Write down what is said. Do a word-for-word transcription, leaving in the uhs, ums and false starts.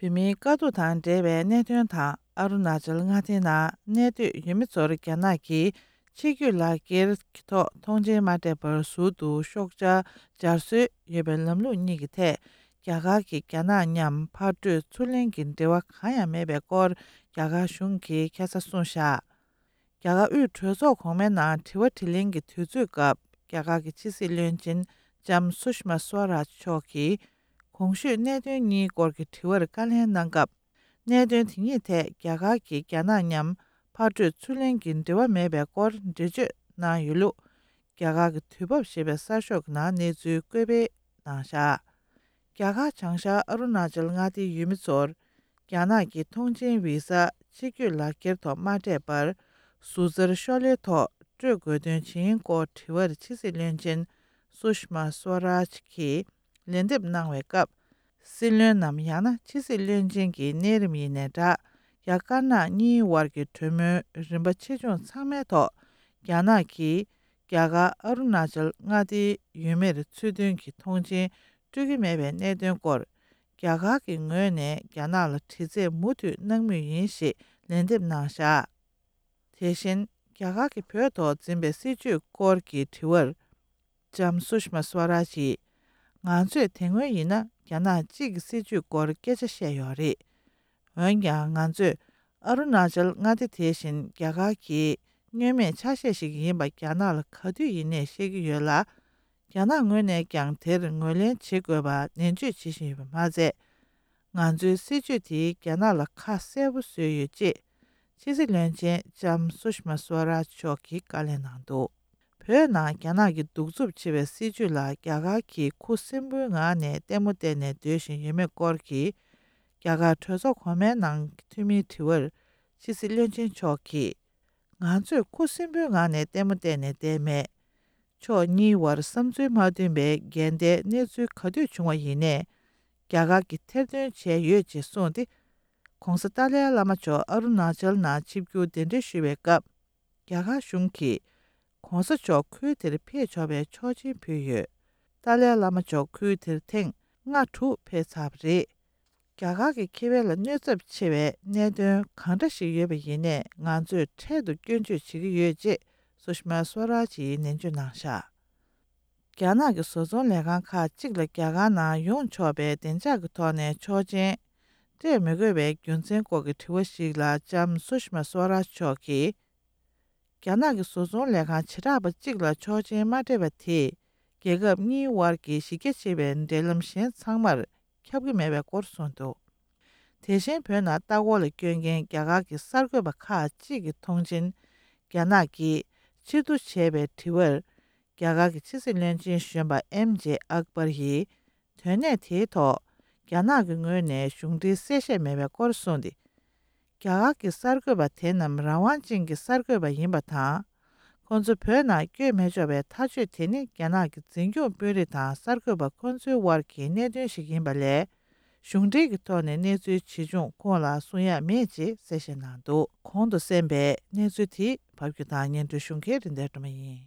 བོད་མིའི་དཀའ་སྡུག་དང་འབྲེལ་བའི་གནད་དོན་དང་། ཨ་རུ་ན་ཅལ་མངའ་སྡེའི་ནང་གནས་སྡོད་ཡུལ་མི་ཚོར་རྒྱ་ནག་གིས་ཕྱི་སྐྱོད་ལག་འཁྱེར་གྱི་ཐོག་མཐོང་མཆན་མ་སྤྲད་པར་ཟུར་དུ་ཤོག་བྱ་སྦྱར་སྲོལ་ཡོད་པའི་ལམ་ལུགས་གཉིས་ཀྱི་ཐད། རྒྱ་གར་གྱིས་རྒྱ་ནག་མཉམ་ཕར་སྤྲོད་ཚུར་ལེན་གྱི་འབྲེལ་བ་གང་ཡང་མེད་པའི་སྐོར། རྒྱ་གར་གཞུང་གིས་ཁ་སང་གསུངས་བཞག་རྒྱ་གར་དབུས་གྲོས་ཚོགས་གོང་མའི་ནང་དྲི་བ་དྲིས་ལན་གྱི་དུས་ཚོད་སྐབས། རྒྱ་གར་གྱི་ཕྱི་སྲིད་བློན་ཆེན་ལྕམ་སུཤ་མ་སུ་ཝ་རཱཇ་མཆོག་གིས། གོང་ཞུས་གནད་དོན་གཉིས་སྐོར་གྱི་དྲི་བར་བཀའ་ལན་གནང་སྐབས། གནད་དོན་དེ་གཉིས་ཐད་རྒྱ་གར་གྱིས་རྒྱ་ནག་མཉམ་ཕར་སྤྲོད་ཚུར་ལེན་གྱི་འབྲེལ་བ་མེད་པའི་སྐོར་འགྲེལ་བརྗོད་གནང་ཡོད་ལུགས། རྒྱ་གར་གྱི་དུས་བབ་ཞེས་པའི་གསར་ཤོག་གི་ནང་གནས་ཚུལ་བཀོད་སྤེལ་གནང་བཞག་རྒྱ་གར་བྱང་ཤར་ཨ་རུ་ན་ཅལ་མངའ་སྡེའི་ཡུལ་མི་ཚོར། རྒྱ་ནག་གི་མཐོང་མཆན་བི་ཟ་ཕྱི་སྐྱོད་ལག་འཁྱེར་ཐོག་མ་སྤྲད་པར། ཟུར་འཛར་ཤོག་ལྷེ་ཐོག་སྤྲོད་དགོས་དོན་ཇི་ཡིན་སྐོར་དྲི་བར་ཕྱི་སྲིད་བློན་ཆེན་སུཤ་མ་སུ་ཝ་རཱཇ་གྱིས་ལན་འདེབས་གནང་བའི་སྐབས། སྲིད་བློན་ནམ་ཡང་ན་ཕྱི་སྲིད་བློན་ཆེན་གྱི་གནས་རིམ་ཡིན་ནའི་འདྲ། རྒྱ་དཀར་ནག་གཉིས་དབར་གྱི་གྲོས་མོལ་རིམ་པ་ཆེ་ཆུང་ཚང་མའི་ཐོག་རྒྱ་ནག་གིས་རྒྱ་གར་ཨ་རུ་ན་ཅལ་མངའ་སྡེའི་ཡུལ་མིར་ཚུལ་མཐུན་གྱི་མཐོང་མཆན་སྤྲོད་ཀྱི་མེད་པའི་གནད་དོན་སྐོར། རྒྱ་གར་གྱི་ངོས་ནས་རྒྱ་ནག་ལ་དྲི་རྩད་མུ་མཐུད་གནང་མུས་ཡིན་ཞེས་ལན་འདེབས་གནང་བཞག་དེ་བཞིན། རྒྱ་གར་གྱིས་བོད་ཐོག་འཛིན་པའི་སྲིད་བྱུས་སྐོར་གྱི་དྲི་བར། ལྕམ་སུཤ་མ་སུ་ཝ་རཱཇ་ཡིས། ང་ཚོས་དེ་སྔོན་ཡིན་ན་རྒྱ་ནག་གཅིག་གི་སྲིད་བྱུས་སྐོར་སྐད་ཆ་བཤད་ཡོད་རེད། འོན་ཀྱང་ང་ཚོས་ཨ་རུ་ན་ཅལ་མངའ་སྡེ་དེ་བཞིན་རྒྱ་གར་གྱི་བསྙོན་མེད་ཆ་ཤས་ཤིག་ཡིན་པ་རྒྱ་ནག་ལ་ག་དུས་ཡིན་ནའི་བཤད་ཀྱི་ཡོད་ལ། རྒྱ་ནག་ངོས་ནས་ཀྱང་དེར་ངོས་ལེན་བྱེད་དགོས་པ་ནན་བརྗོད་བྱེད་བཞིན་ཡོད་པ་མ་ཟད། ང་ཚོའི་སྲིད་བྱུས་དེས་རྒྱ་ནག་ལ་ཁ་གསལ་པོ་བཟོས་ཡོད་ཅེས། ཕྱི་སྲིད་བློན་ཆེན་ལྕམ་སུཤ་མ་སུ་ཝ་རཱཇ་མཆོག་གིས་བཀའ་ལན་གནང་འདུག་བོད་ནང་རྒྱ་ནག་གི་གདུག་རྩུབ་ཆེ་བའི་སྲིད་བྱུས་ལ་རྒྱ་གར་གྱིས་ཁུ་སིམ་པོའི་ངང་ནས་ལྟད་མོ་བལྟས་ནས་སྡོད་བཞིན་ཡོད་མེད་སྐོར་གྱི། རྒྱ་གར་གྲོས་ཚོགས་གོང་མའི་ནང་གི་འཐུས་མིའི་དྲི་བར། ཕྱི་སྲིད་བློན་ཆེན་མཆོག་གིས། ང་ཚོས་ཁུ་སིམ་པོའི་ངང་ནས་ལྟད་མོ་བལྟས་ནས་བསྡད་མེད། ཕྱོགས་གཉིས་བར་བསམ་ཚུལ་མ་མཐུན་པའི་འགལ་ཟླའི་གནས་ཚུལ་ག་དུས་བྱུང་བ་ཡིན་ནའི། རྒྱ་གར་གྱིས་ཐེར་འདོན་བྱས་ཡོད་ཅེས་གསུངས་ཏེ། ྋགོང་ས་ཏཱ་ལའི་བླ་མ་མཆོག་ཨ་རུ་ན་ཅལ་ནང་ཆིབས་བསྒྱུར་གདན་འདྲེན་ཞུ་བའི་སྐབས། རྒྱ་གར་གཞུང་གིས། ྋགོང་ས་མཆོག་ཁུལ་དེར་ཕེབས་ཆོག་པའི་ཆོག་མཆན་ཕུལ་ཡོད། ཏཱ་ལའི་བླ་མ་མཆོག་ཁུལ་དེར་ཐེངས་ལྔ་དྲུག་ཕེབས་ཚར་བ་རེད། རྒྱ་གར་གྱི་ཁེ་ཕན་ལ་གནོད་ཚབས་ཆེ་བའི་གནད་དོན་གང་འདྲ་ཞིག་ཡོད་པ་ཡིན་ནའི་ང་ཚོས་འཕྲལ་དུ་སྐྱོན་བརྗོད་བྱེད་ཀྱི་ཡོད་ཅེས་སུ་ཤི་མ་སུ་ཝ་རཱཇ་ཡིས་ནན་བརྗོད་གནང་བཞག་རྒྱ་ནག་གི་བཟོ་ཚོང་ལས་ཁང་ཁག་ཅིག་ལ་རྒྱ་གར་ནང་ཡོང་ཆོག་པའི་བདེ་འཇགས་ཀྱི་ཐོག་ནས་ཆོག་མཆན་སྤྲད་མི་དགོས་པའི་རྒྱུ་མཚན་སྐོར་གྱི་དྲི་བ་ཞིག་ལ་ལྕམ་སུ་ཤི་མ་སུ་ཝ་རཱཇ་མཆོག་གིས། རྒྱ་ནག་གི་བཟོ་ཚོང་ལས་ཁང་བྱེ་བྲག་པ་གཅིག་ལ་ཆོག་མཆན་མ་སྤྲད་པ་དེས་རྒྱལ་ཁབ་གཉིས་དབར་གྱི་གཞི་རྒྱ་ཆེ་བའི་འབྲེལ་ལམ་གཞན་ཚང་མར་ཁྱབ་ཀྱི་མེད་པའི་སྐོར་གསུངས་འདུག་དེ་བཞིན་བོད་ནང་ལྟ་སྐོར་ལ་བསྐྱོད་མཁན་རྒྱ་གར་གྱི་གསར་འགོད་པ་ཁག་ཅིག་གི་མཐོང་མཆན་རྒྱ་ནག་གིས་ཕྱིར་བསྡུ་བྱས་པའི་དྲི་བར། རྒྱ་གར་གྱི་ཕྱི་སྲིད་བློན་ཆེན་གཞོན་པ་ཨེམ་ཇེ་ཨག་པར་ཡིས། དོན་གནད་དེའི་ཐོག་རྒྱ་ནག་གི་ངོས་ནས་གཞུང་འབྲེལ་གསལ་བཤད་མེད་པའི་སྐོར་གསུངས་ཏེ། རྒྱ་གར་གྱི་གསར་འགོད་པ་དེ་རྣམས་རང་དབང་ཅན་གྱི་གསར་འགོད་པ་ཡིན་པ་དང་། ཁོང་ཚོ་བོད་ནང་བསྐྱོད་མི་ཆོག་པའི་ཐག་གཅོད་དེ་ནི་རྒྱ་ནག་གི་འཛིན་སྐྱོང་དཔོན་རིགས་དང་གསར་འགོད་པ་ཁོང་ཚོའི་དབར་གྱི་གནད་དོན་ཞིག་ཡིན་པ་ལས། གཞུང་འབྲེལ་གྱི་ཐོག་ནས་གནས་ཚུལ་ཇི་བྱུང་ཁོང་ལ་གསུང་ཡག་མེད་ཅེས་གསལ་བཤད་གནང་འདུག་གོང་དུ་གསན་པའི་གནས་ཚུལ་དེ་ཕབ་སྒྱུར་དང་སྙན་སྒྲོན་ཞུ་མཁན་རིན་ལྡན་སྒྲོལ་མ་ཡིན།